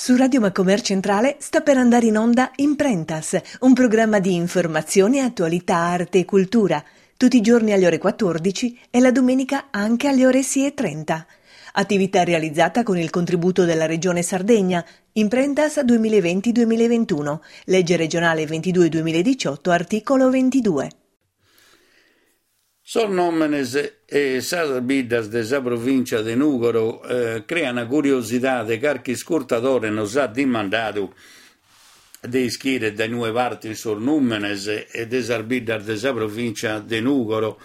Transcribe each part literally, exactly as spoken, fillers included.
Su Radio Macomer Centrale sta per andare in onda Imprentas, un programma di informazione, attualità, arte e cultura, tutti i giorni alle ore quattordici e la domenica anche alle ore sei e trenta. Attività realizzata con il contributo della Regione Sardegna, Imprentas duemilaventi duemilaventuno, legge regionale ventidue duemiladiciotto, articolo ventidue. Sos nòmenes e sas biddas de sa provìntzia de Nùgoro eh, crean curiosidade. Carchi iscurtadore nos at dimandadu de ischire dae inue partin sos nùmenes e de sas biddas de sa provìntzia de Nùgoro.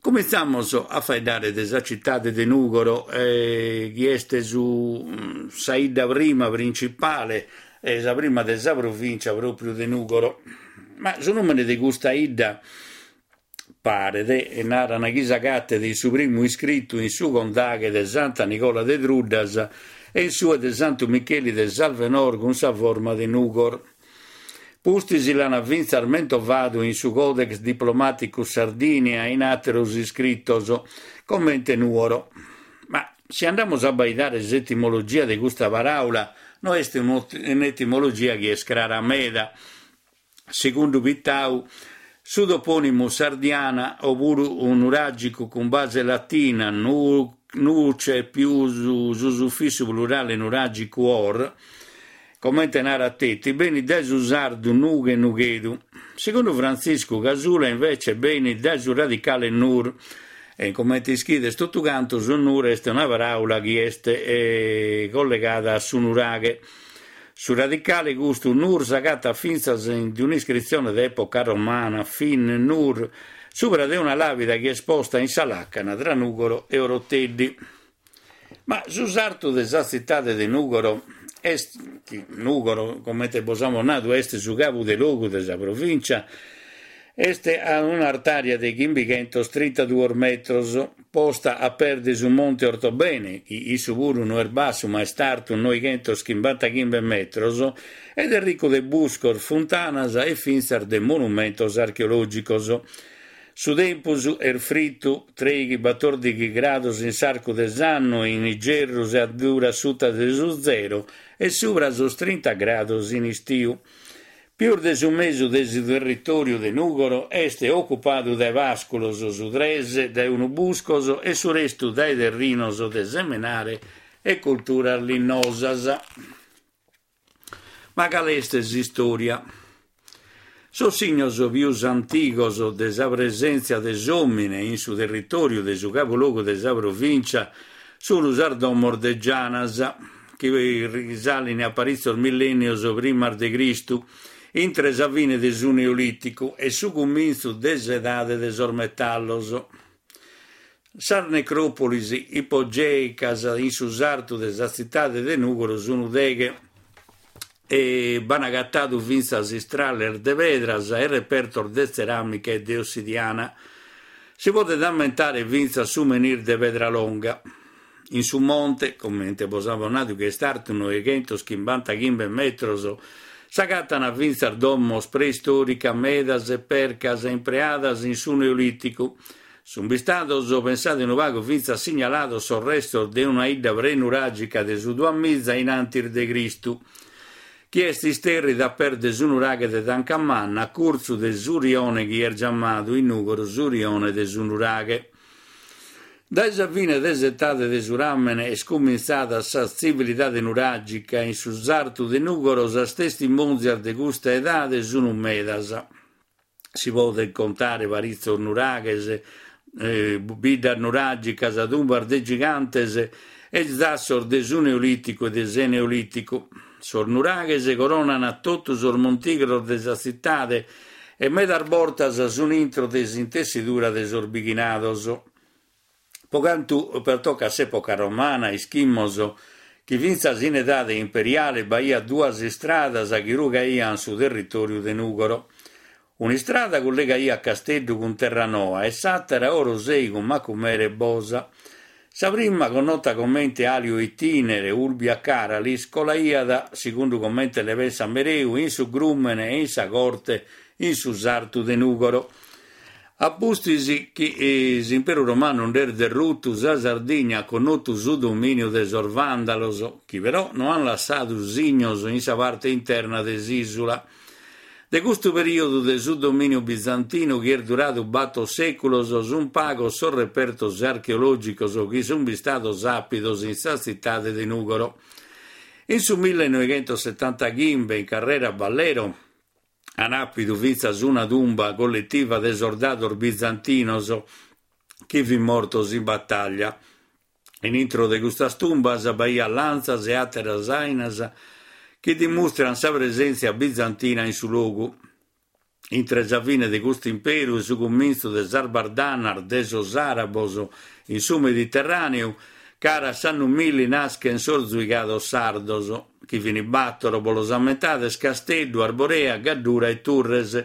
Comintzamos a faeddare de sa citade de Nùgoro, eh, chi est su, sa 'idda prima principale, eh, sa prima de sa provìntzia pròpriu de Nùgoro. Ma su nùmene de custa 'idda paret e naran chi s'agatet in su primu iscritu in su condaghe de Santa Nigola de Truddas e in sue de Santu Micheli de Salvenor cun sa forma de Nugor. Pustis l'ana fintzas mentovadu in su Codex Diplomaticus Sardinia e in àteros iscritos, comente Nuoro. Ma si andamus a abbaidare s'etimologia de custa paràula, no est un'etimologia chi est crara meda. Segundu Pittau, su topònimu Sardiana, opuru nuràgicu cun base latina, nu, nuce pius su sufissu plurale nuràgicu or, comente narat Tetti, benit dae su sardu nughe nughedu. Segundu Frantziscu Casula, invece, benit dae su radicale nur. E comente ischides totu cantu, su nur est una paràula chi est eh, collegada a su nuraghe. Su radicale custu nur s'agatat fintzas in un'iscritzione de època romana, fin nur, subra de una làpida chi est posta in sa làcana tra Nùgoro e Oroteddi. Ma su sartu de sa tzitade de Nùgoro est, Nùgoro, comente bos amus nadu, est su cabu de logu de sa provìncia, est a un'artària de chimbichentos trintaduos metros, posta a pes de su Monte Ortobene, chi issu puru no est bassu ma est artu noighentos chimbantachimbe metros, ed est riccu de buscos, funtanas e fintzas de monumentos archeològicos. Su tempus est fritu, trèighi batòrdighi grados in s'arcu de s'annu, in igerru si addurat suta de su zero e subra sos trinta grados in istiu. Pius de su mesu de su territòriu de Nùgoro est ocupadu dae pàsculos, su tres dae unu buscos e su restu dae terrinos de semenare e culturas linnosas. Ma cale est s'istòria? Sos signos pius antigos de sa presèntzia de s'òmine in su territòriu de su cabulogu de sa provìncia sunt sas domos de Gianas, chi risalin a paritzos millènnios primas de Cristu, intre sa fine de su Neolìticu e su cumintzu de s'edade de sos metallos. Sas necròpolis ipogèicas in su sartu de sa tzitade de Nùgoro sunt deghe e b'an agatadu fintzas istrales de pedras e repertos de tzeràmica e de ossidiana. Si podet ammentare fintzas su menhir de Pedralonga. In su monte, comente bos apo nadu chi est artu noighentos chimbantachimbe metros, s'agatan fintzas domos preistòricas medas e percas impreadas in su Neolìticu. Sunt bistados, pensade unu pagu, fintzas signalados sos restos de una 'idda prenuràgica de su duamiza in antis de Cristu, chi est istèrrida a pes de su nuraghe de Tancamanna, a curtzu de su rione chi est giamadu in Nùgoro su rione de su nuraghe. Dae sa fine de s'etade de su ràmene est cumintzada sa tzivilidade nuràgica in su sartu de Nùgoro. Sas testimòntzias de custa edade sunt medas. Si podent contare paritzos nuraghes, eh, biddas nuràgicas, tumbas de gigantes e zassos de su Neolìticu e de s'Eneolìticu. Sos nuraghes coronan totu sos montigros de sa tzitade e medas bortas sunt intro de s'intessidura de sos bighinados. Po cantu pertocat s'època romana, ischimus chi fintzas in edade imperiale b'aiat duas istradas chi rugaiant su territòriu de Nùgoro. Un'istrada collegaiat Casteddu cun Terranoa e s'àtera Orosei cun Macumere e Bosa. Sa prima, connota comente Alio Itinere Ulbia Caralis, colaiat, segundu comente le pensa Mereu, in su Grùmene e in sa corte in su sartu de Nùgoro. A pustis chi s'imperu romanu nd'est derrutu, sa Sardigna at connotu su domìniu de sos vàndalos, chi però no ant lassadu signos in sa parte interna de s'ìsula. De custu perìodu de su domìniu bizantinu, chi est duradu bator sèculos, sunt pagos sos repertos archeològicos chi sunt bistados àpidos in sa tzitade de Nùgoro. In su millenoighentosetantachimbe, in carrera Ballero, ant àpidu fintzas una tumba colletiva de sordados bizantinos chi fint mortos in batalla. In intro de custas tumbas b'aiat lantzas e àteras ainas chi dimustrant sa presèntzia bizantina in su logu. Intre sa fine de custu imperu e su cumintzu de sas bardanas de sos àrabos in su Mediterràneu, cara a s'annu milli naschent sos zuigados sardos, chi fint bator, bos los ammentades, Casteddu, Arborea, Gaddura e Turres.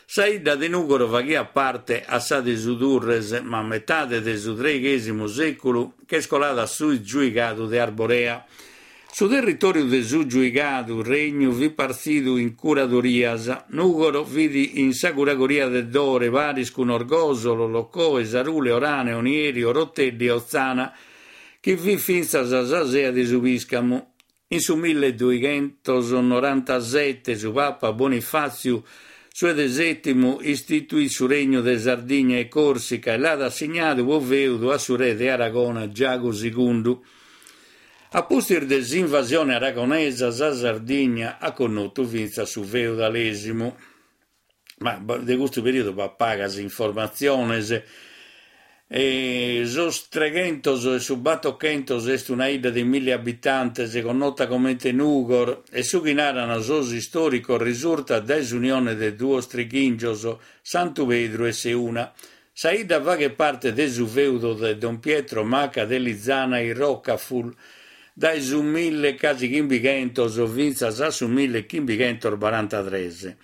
Sa 'idda de Nùgoro faghiat parte a sa de su Turres, ma a metade de su treighèsimu sèculu ch'est colada a su giuigadu de Arborea. Su territòriu de su giuigadu regnu fit partzidu in curadorias. Nùgoro fit in sa curadoria de Dore, paris cun Orgòsolo, Locoe, Sarule, Orane, Onieri, Oroteddi e Otzana, chi fit fintzas sa sea de su Pìscamu. In su milleduighentos norantasete su Papa Bonifàtziu su de sètimu istituit su Regnu de Sardigna e Còrsica e l'at assignadu pro fèudu a su re de Aragona Giagu Segundu. A pustis de s'invasione aragonesa, sa Sardigna at connotu fintzas su feudalèsimu. Ma de custu perìodu b'at pagas informatziones. E sos treghentos e su batochentos est una 'idda de milli abitantes connota comente Nugor e su chi naran sos istòricos risurtat dae s'unione de duos trighìngios, Santu Pedru e Seuna. Sa 'idda faghet parte de su feudo de Don Pietro Maca de Lizana e Rocafull dae su mille casi chimbichentos fintzas a su mille chimbichentos barantatres.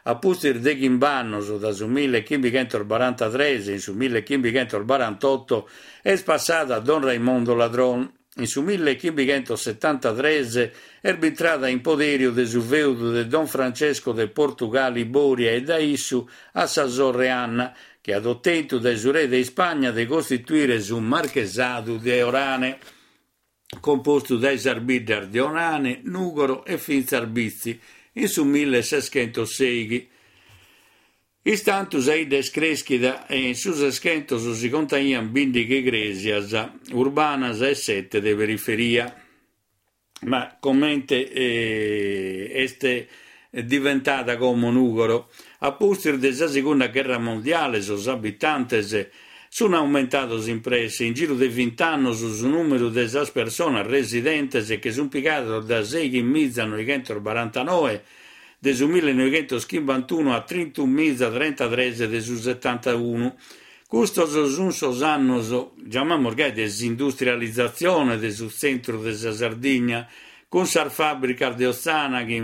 A pustis de chimb'annos, dae su millechimbichentos barantatres in su millechimbichentos barantotto, est passada a Don Raimondo Ladron. In su millechimbichentos setantatres est bintrada in poderiu de su feudu de Don Francesco de Portugalli Boria e da issu a sa sorre Anna, chi at otentu dae su re de Ispagna de costituire su Marchesadu de Orane, compostu dae sas biddas de Orane, Nùgoro e fintzas Bitzi, in su milleseschentos sèighi. Istantu sa 'idda est crèschida e in su Seschentos si contaiant bìndighi crèsias urbanas e sete de periferia. Ma comente eh, est diventada como Nùgoro? A pustis de sa Segunda Gherra Mondiale sos abitantes sunt aumentados in presse. In giru de vint'annos su nùmeru de sas personas residentes che sunt pigados da seighimiza noighentos barantanoe de su millenoighentos chimbantunu a trintunomiza trentatres de su setantunu. Custos sunt sos annos, giamamus gai, de s'industrializatzione de su tzentru de sa Sardigna, cun sas fàbricas de Otzana chi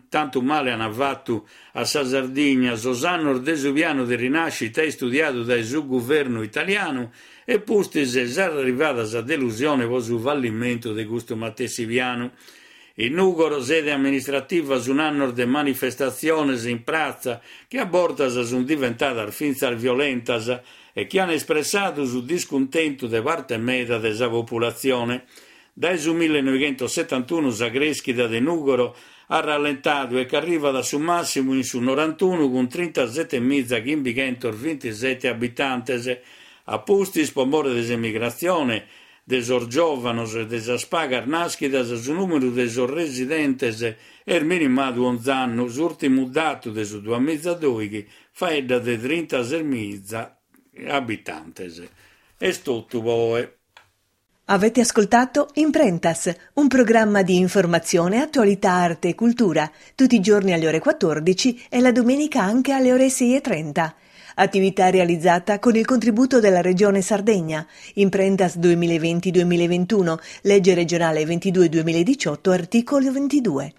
tantu male ant fatu a sa Sardigna, sos annos de su pianu de rinascita istudiadu dae su guvernu italianu e pustis s'arrivada sa delusione pro su fallimentu de custu matessi pianu. In Nùgoro, sede amministrativa, sunt annos de manifestatziones in pratza chi a bortas sunt diventadas fintzas violentas e chi ant espressadu su discuntentu de parte meda de sa populatzione. Dae su millenoighentos setantunu sa crèschida de Nùgoro at rallentadu e ch'arrivat a su màssimu in su norantunu cun trintasetemiza chimbichentos bintisete abitantes. A pustis, pro more de s'emigratzione de sos giòvanos e de sas pagas nàschidas, su nùmeru de sos residentes est minimadu onz'annu. S'ùrtimu datu de su duamiza dòighi faeddat de trintasesmiza abitantes. Est totu po oe. Avete ascoltato Imprentas, un programma di informazione, attualità, arte e cultura, tutti i giorni alle ore quattordici e la domenica anche alle ore sei e trenta. Attività realizzata con il contributo della Regione Sardegna. Imprentas duemilaventi-duemilaventuno, legge regionale ventidue duemiladiciotto, articolo ventidue.